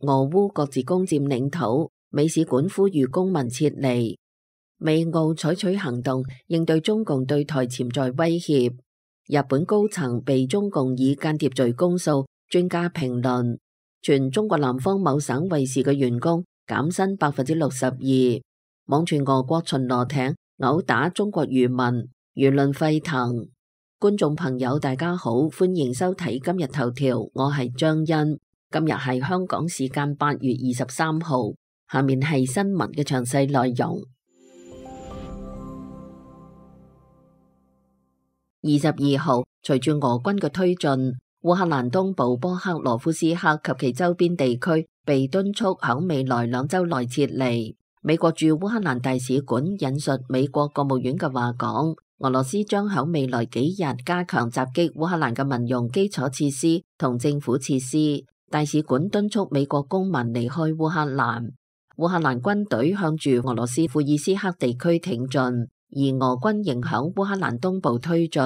俄烏各自攻佔領土，美使館呼籲公民撤離。美澳採取行動應對中共對台潛在威脅。日本高層被中共以間諜罪公訴，專家評論。傳中國南方某省衛視嘅員工減薪62%。網傳俄國巡邏艇毆打中國漁民，輿論沸騰。觀眾朋友大家好，歡迎收睇今日頭條，我係張欣。今日係香港時間8月23號，下面係新聞嘅詳細內容。22號，隨住俄軍嘅推進，烏克蘭東部波克羅夫斯克及其周邊地區被敦促響未來2週內撤離。美國駐烏克蘭大使館引述美國國務院嘅話講，俄羅斯將響未來幾日加強襲擊烏克蘭嘅民用基礎設施同政府設施。大使館敦促美國公民離開烏克蘭。烏克蘭軍隊向住俄羅斯庫爾斯克地區挺進，而俄軍仍響烏克蘭東部推進。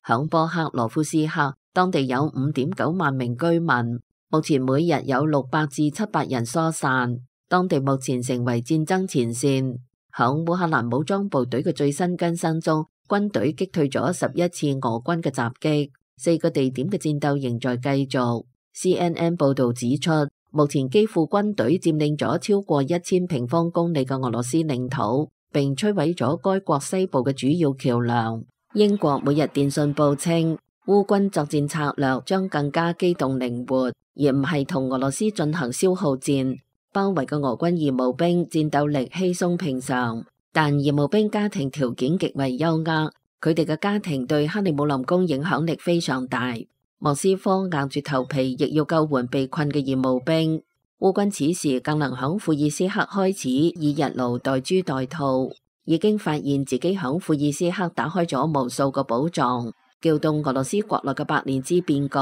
響波克羅夫斯克，當地有5.9萬名居民，目前每日有600至700人疏散。當地目前成為戰爭前線。響烏克蘭武裝部隊嘅最新更新中，軍隊擊退咗11次俄軍嘅襲擊，4個地點嘅戰鬥仍在繼續。CNN 報道指出，目前基輔軍隊佔領咗超過1000平方公里嘅俄羅斯領土，並摧毀咗該國西部嘅主要橋樑。英國每日電訊報稱，烏軍作戰策略將更加機動靈活，而唔係同俄羅斯進行消耗戰。包圍嘅俄軍義務兵戰鬥力稀鬆平常，但義務兵家庭條件極為優渥，佢哋嘅家庭對克里姆林宮影響力非常大。莫斯科硬住頭皮亦要救援被困嘅義務兵。烏軍此時更能響庫爾斯克開始以日勞代豬代兔，已經發現自己響庫爾斯克打開咗無數個寶藏，撬動俄羅斯國內嘅百年之變局。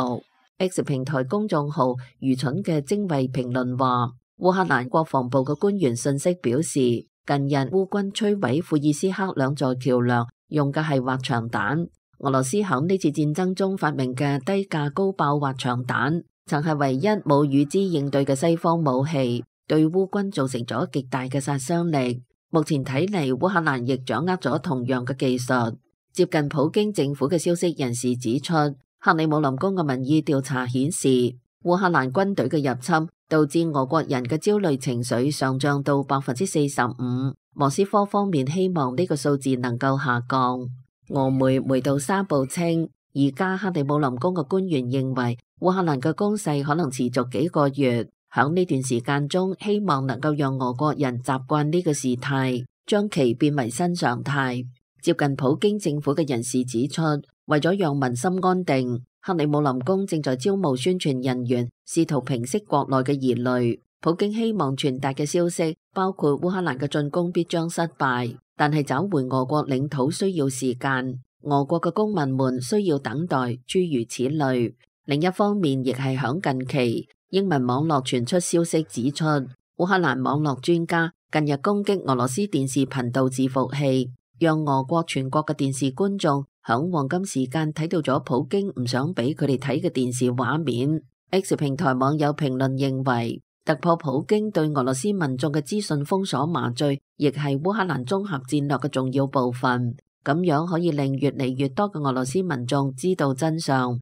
X 平台公眾號愚蠢嘅精衛評論話，烏克蘭國防部嘅官員信息表示，近日烏軍摧毀庫爾斯克2座橋樑，用嘅係滑翔彈。俄羅斯響呢次戰爭中發明嘅低價高爆滑翔彈，曾係唯一冇與之應對嘅西方武器，對烏軍造成咗極大嘅殺傷力。目前睇嚟，烏克蘭亦掌握咗同樣嘅技術。接近普京政府嘅消息人士指出，克里姆林宮嘅民意調查顯示，烏克蘭軍隊嘅入侵導致俄國人嘅焦慮情緒上漲到45%。莫斯科方面希望呢個數字能夠下降。俄媒梅杜沙報稱，而家克里姆林宮嘅官員認為烏克蘭嘅攻勢可能持續幾個月，響呢段時間中希望能夠讓俄國人習慣呢個事態，將其變為新常態。接近普京政府嘅人士指出，為咗讓民心安定，克里姆林宮正在招募宣傳人員，試圖平息國內嘅疑慮。普京希望傳達嘅消息包括烏克蘭嘅進攻必將失敗，但係找回俄國領土需要時間，俄國嘅公民們需要等待，諸如此類。另一方面，亦係響近期，英文網絡傳出消息指出，烏克蘭網絡專家近日攻擊俄羅斯電視頻道伺服器，讓俄國全國嘅電視觀眾響黃金時間睇到咗普京唔想俾佢哋睇嘅電視畫面。X 平台網友評論認為，突破普京對俄羅斯民眾嘅資訊封鎖麻醉，亦係烏克蘭綜合戰略嘅重要部分。咁樣可以令越嚟越多嘅俄羅斯民眾知道真相。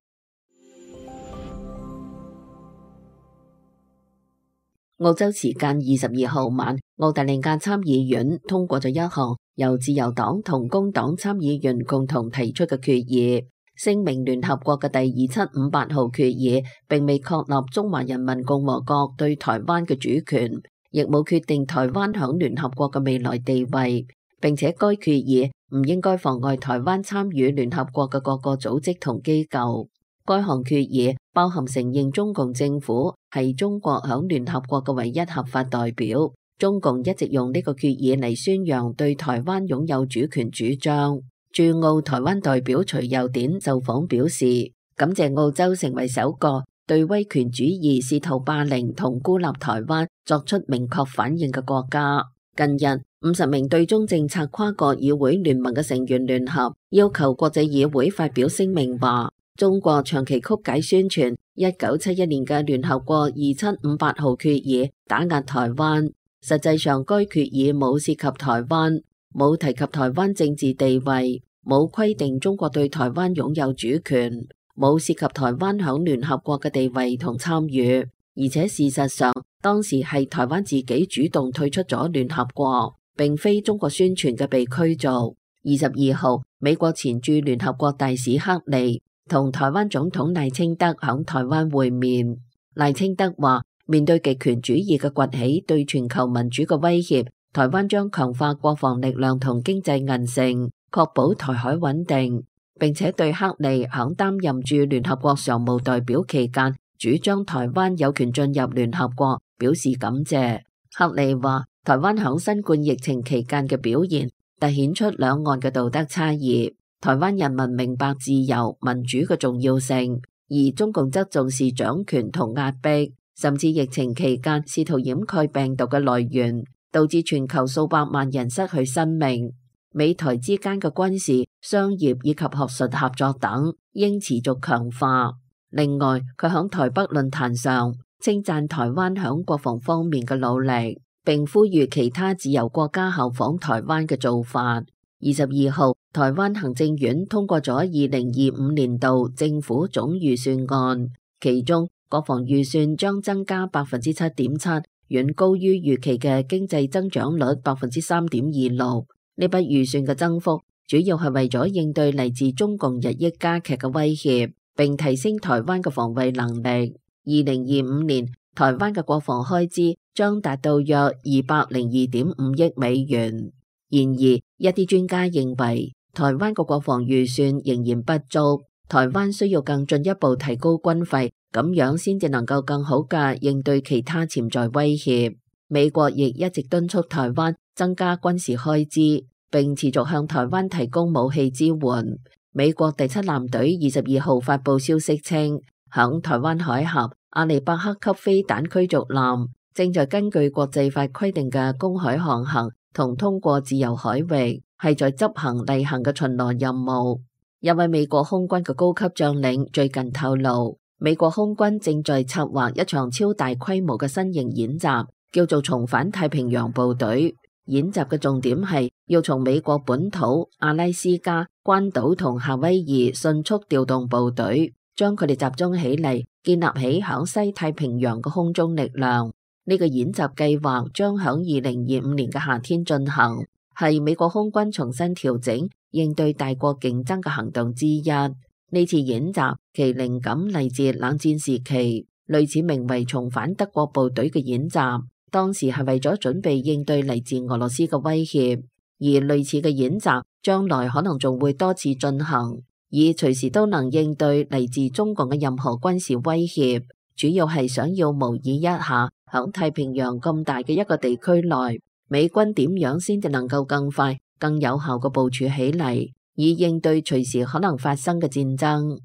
澳洲時間22號晚，澳大利亞參議院通過咗一項由自由黨同工黨參議員共同提出嘅決議，聲明聯合國嘅第2758號決議並未確立中華人民共和國對台灣嘅主權，亦冇決定台灣響聯合國嘅未來地位，並且該決議唔應該妨礙台灣參與聯合國嘅各個組織同機構。該項決議包含承認中共政府係中國響聯合國嘅唯一合法代表。中共一直用呢個決議嚟宣揚對台灣擁有主權主張。駐澳台灣代表徐佑典受訪表示，感謝澳洲成為首個對威權主義試圖霸凌同孤立台灣作出明確反應嘅國家。近日50名對中政策跨國議會聯盟嘅成員聯合要求國際議會發表聲明話，中國長期曲解宣傳1971年嘅聯合國2758號決議打壓台灣，實際上該決議冇涉及台灣，冇提及台灣政治地位，冇規定中國對台灣擁有主權，冇涉及台灣響聯合國嘅地位同參與，而且事實上當時係台灣自己主動退出咗聯合國，並非中國宣傳嘅被驅逐。22號，美國前駐聯合國大使克利同台灣總統賴清德響台灣會面。賴清德話，面對極權主義嘅崛起對全球民主嘅威脅，台灣將強化國防力量同經濟韌性，確保台海穩定，並且對克利響擔任駐聯合國常務代表期間主張台灣有權進入聯合國表示感謝。克利話，台灣響新冠疫情期間嘅表現凸顯出兩岸嘅道德差異，台灣人民明白自由民主嘅重要性，而中共則重視掌權同壓迫，甚至疫情期間試圖掩蓋病毒嘅來源，導致全球數百萬人失去生命。美台之間嘅軍事、商業以及學術合作等應持續強化。另外，佢響台北論壇上稱讚台灣響國防方面嘅努力，並呼籲其他自由國家效仿台灣嘅做法。22號，台灣行政院通過咗2025年度政府總預算案，其中國防預算將增加7.7%，遠高於預期嘅經濟增長率3.26%。呢筆預算嘅增幅主要係為咗應對嚟自中共日益加劇嘅威脅，並提升台灣嘅防衛能力。2025年台灣嘅國防開支將達到約202.5億美元。然而，一啲專家認為，台灣嘅國防預算仍然不足，台灣需要更進一步提高軍費，咁樣先至能夠更好嘅應對其他潛在威脅。美國亦一直敦促台灣增加軍事開支，並持續向台灣提供武器支援。美國第7艦隊22號發布消息稱，響台灣海峽阿利伯克級飛彈驅逐艦正在根據國際法規定嘅公海航行同通過自由海域，係在執行例行嘅巡邏任務。一位美國空軍嘅高級將領最近透露，美國空軍正在策劃一場超大規模嘅新型演習，叫做重返太平洋部隊。演習嘅重點係要從美國本土、阿拉斯加、關島同夏威夷迅速調動部隊，將佢哋集中起嚟，建立起響西太平洋嘅空中力量。呢個演習計劃將響2025年嘅夏天進行，係美國空軍重新調整應對大國競爭嘅行動之一。呢次演習其靈感嚟自冷戰時期，類似名為重返德國部隊嘅演習，當時係為咗準備應對嚟自俄羅斯嘅威脅，而類似嘅演習將來可能仲會多次進行，以隨時都能應對嚟自中共嘅任何軍事威脅。主要係想要模擬一下響太平洋咁大嘅一個地區內，美軍點樣先至能夠更快、更有效嘅部署起嚟，以應對隨時可能發生嘅戰爭。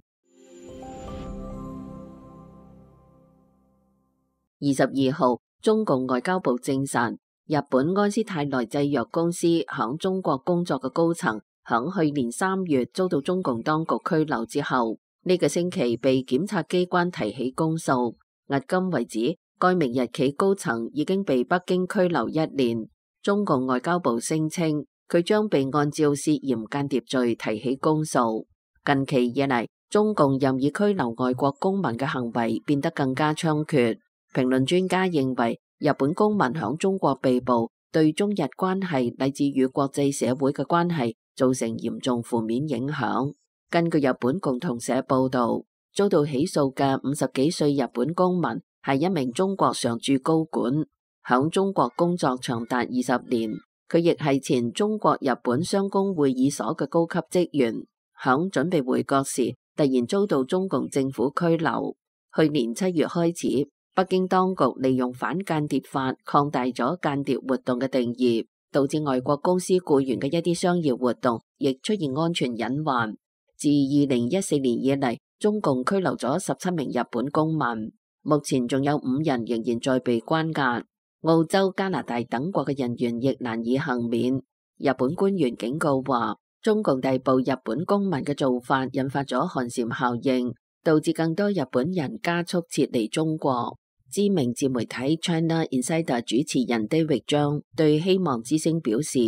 22號，中共外交部證實，日本安斯泰來製藥公司響中國工作嘅高層，響去年3月遭到中共當局拘留之後，呢個星期被檢察機關提起公訴。迄今為止，該名日企高層已經被北京拘留1年。中共外交部聲稱，佢將被按照涉嫌間諜罪提起公訴。近期以嚟，中共任意拘留外國公民嘅行為變得更加猖獗。評論專家認為，日本公民響中國被捕，對中日關係乃至與國際社會嘅關係造成嚴重負面影響。根據日本共同社報道，遭到起訴嘅50幾歲日本公民係一名中國常駐高管，響中國工作長達20年。佢亦係前中國日本商工會議所嘅高級職員，響準備回國時突然遭到中共政府拘留。去年7月開始，北京當局利用反間諜法擴大咗間諜活動嘅定義，導致外國公司僱員嘅一啲商業活動亦出現安全隱患。自2014年以嚟，中共拘留咗17名日本公民，目前仲有5人仍然在被關押。澳洲、加拿大等國嘅人員亦難以幸免。日本官員警告話，中共逮捕日本公民嘅做法引發咗寒蟬效應，導致更多日本人加速撤離中國。知名自媒體 China Insider 主持人 David 張對希望之聲表示，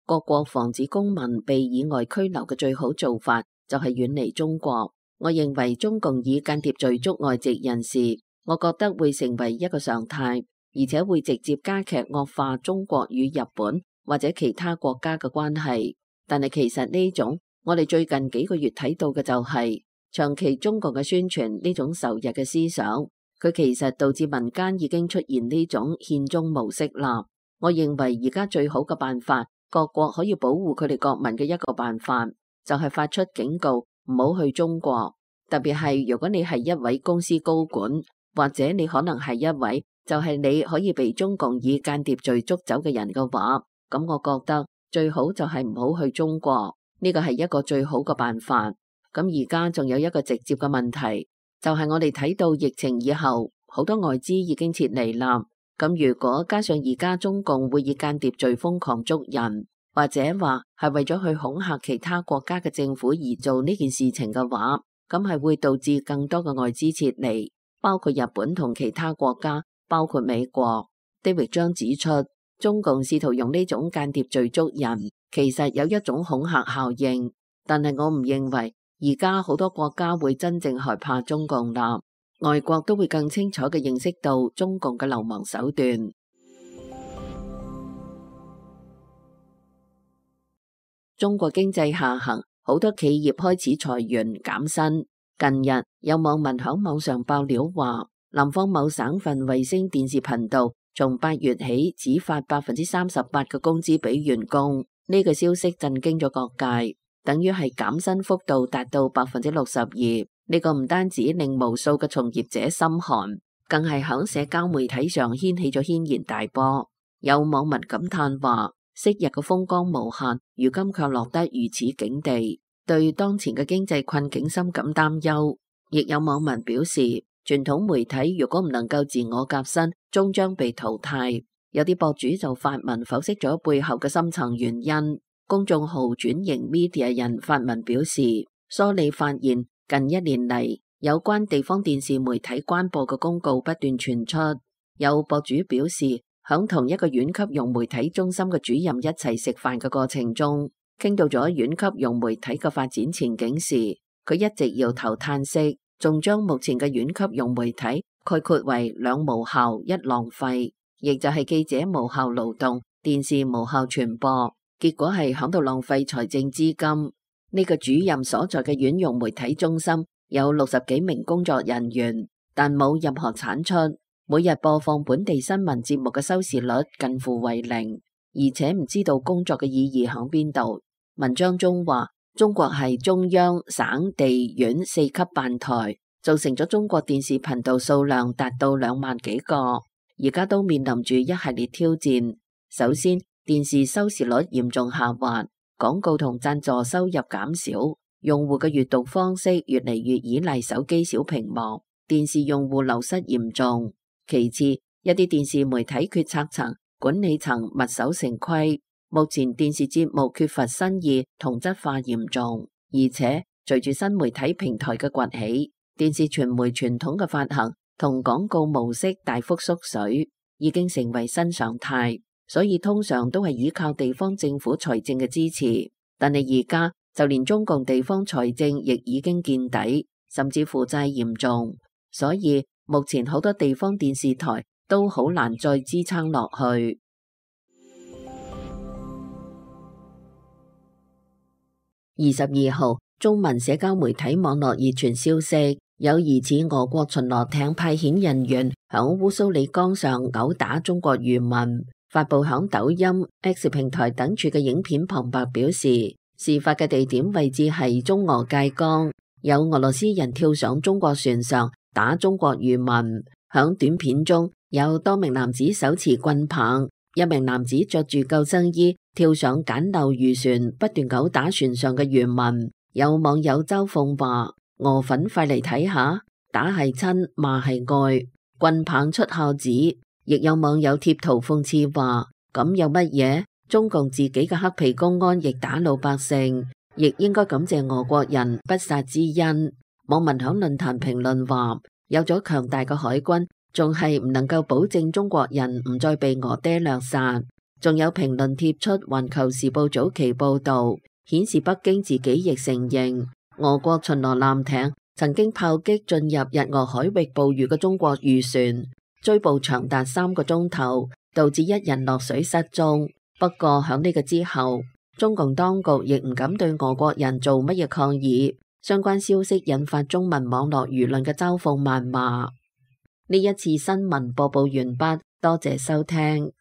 各國防止公民被以外拘留嘅最好做法就係遠離中國。我認為中共以間諜罪捉外籍人士，我覺得會成為一個常態，而且會直接加劇惡化中國與日本或者其他國家嘅關係。但係其實呢種我哋最近幾個月睇到嘅就係長期中國嘅宣傳呢種仇日嘅思想，佢其實導致民間已經出現呢種獻中模式啦。我認為而家最好嘅辦法，各國可以保護佢哋國民嘅一個辦法，就係發出警告，唔好去中國。特別係如果你係一位公司高管，或者你可能係一位就係你可以被中共以間諜罪捉走嘅人嘅話，咁我覺得最好就係唔好去中國，呢個係一個最好嘅辦法。咁而家仲有一個直接嘅問題，就係我哋睇到疫情以後，好多外資已經撤離啦。咁如果加上而家中共會以間諜罪瘋狂捉人，或者話係為咗去恐嚇其他國家嘅政府而做呢件事情嘅話，咁係會導致更多嘅外資撤離，包括日本同其他國家，包括美國。David 張指出，中共試圖用呢種間諜罪捉人，其實有一種恐嚇效應，但係我唔認為而家好多國家會真正害怕中共啦，外國都會更清楚嘅認識到中共嘅流氓手段。中國經濟下行，好多企業開始裁員減薪。近日有網民響網上爆料話，南方某省份衛星電視頻道從8月起只發38%嘅工資俾員工，呢個消息震驚咗各界，等於係減薪幅度達到62%。呢個唔單止令無數嘅從業者心寒，更係響社交媒體上掀起咗軒然大波。有網民感嘆話，昔日嘅風光無限，如今卻落得如此境地，對當前嘅經濟困境深感擔憂。亦有網民表示，傳統媒體如果唔能夠自我革新，終將被淘汰。有啲博主就發文剖析咗背後嘅深層原因。公眾號轉型 media 人發文表示，梳理發現近1年嚟，有關地方電視媒體關播嘅公告不斷傳出。有博主表示，響同一個縣級融媒體中心嘅主任一齊食飯嘅過程中，傾到咗縣級融媒體嘅發展前景時，佢一直搖頭嘆息，仲將目前嘅縣級融媒體概括為2無效1浪費，亦就係記者無效勞動，電視無效傳播，結果係響度浪費財政資金。呢個主任所在嘅縣融媒體中心有60幾名工作人員，但冇任何產出，每日播放本地新聞節目嘅收視率近乎為0，而且唔知道工作嘅意義響邊度。文章中話，中國係中央、省、地、縣4級辦台，造成咗中國電視頻道數量達到2萬幾個，而家都面臨住一系列挑戰。首先，電視收視率嚴重下滑，廣告同贊助收入減少，用戶嘅閱讀方式越嚟越依賴手機小屏幕，電視用戶流失嚴重。其次，一啲電視媒體決策層、管理層墨守成規，目前電視節目缺乏新意，同質化嚴重，而且隨住新媒體平台嘅崛起，電視傳媒傳統嘅發行同廣告模式大幅縮水，已經成為新常態，所以通常都係依靠地方政府財政嘅支持。但係而家就連中共地方財政亦已經見底，甚至負債嚴重，所以目前好多地方電視台都好難再支撐落去。22號，中文社交媒體網絡熱傳消息，有疑似俄國巡邏艇派遣人員響烏蘇里江上毆打中國漁民。發布響抖音、X 平台等處嘅影片旁白表示，事發嘅地點位置係中俄界江，有俄羅斯人跳上中國船上打中國漁民。響短片中有多名男子手持棍棒，一名男子着住救生衣跳上簡陋漁船，不斷毆打船上嘅漁民。有網友嘲諷話：俄粉快嚟睇下，打係親，罵係愛，棍棒出孝子。亦有網友貼圖諷刺話：咁有乜嘢？中共自己嘅黑皮公安亦打老百姓，亦應該感謝俄國人不殺之恩。網民響論壇評論話，有咗強大嘅海軍，仲係唔能夠保證中國人唔再被俄爹掠殺。仲有評論貼出《環球時報》早期報導，顯示北京自己亦承認，俄國巡邏艦艇曾經炮擊進入日俄海域捕魚嘅中國漁船，追捕長達3個鐘頭，導致1人落水失蹤。不過響呢個之後，中共當局亦唔敢對俄國人做乜嘢抗議，相關消息引發中文網絡輿論嘅嘲諷謾罵。呢一次新聞播報完畢，多謝收聽。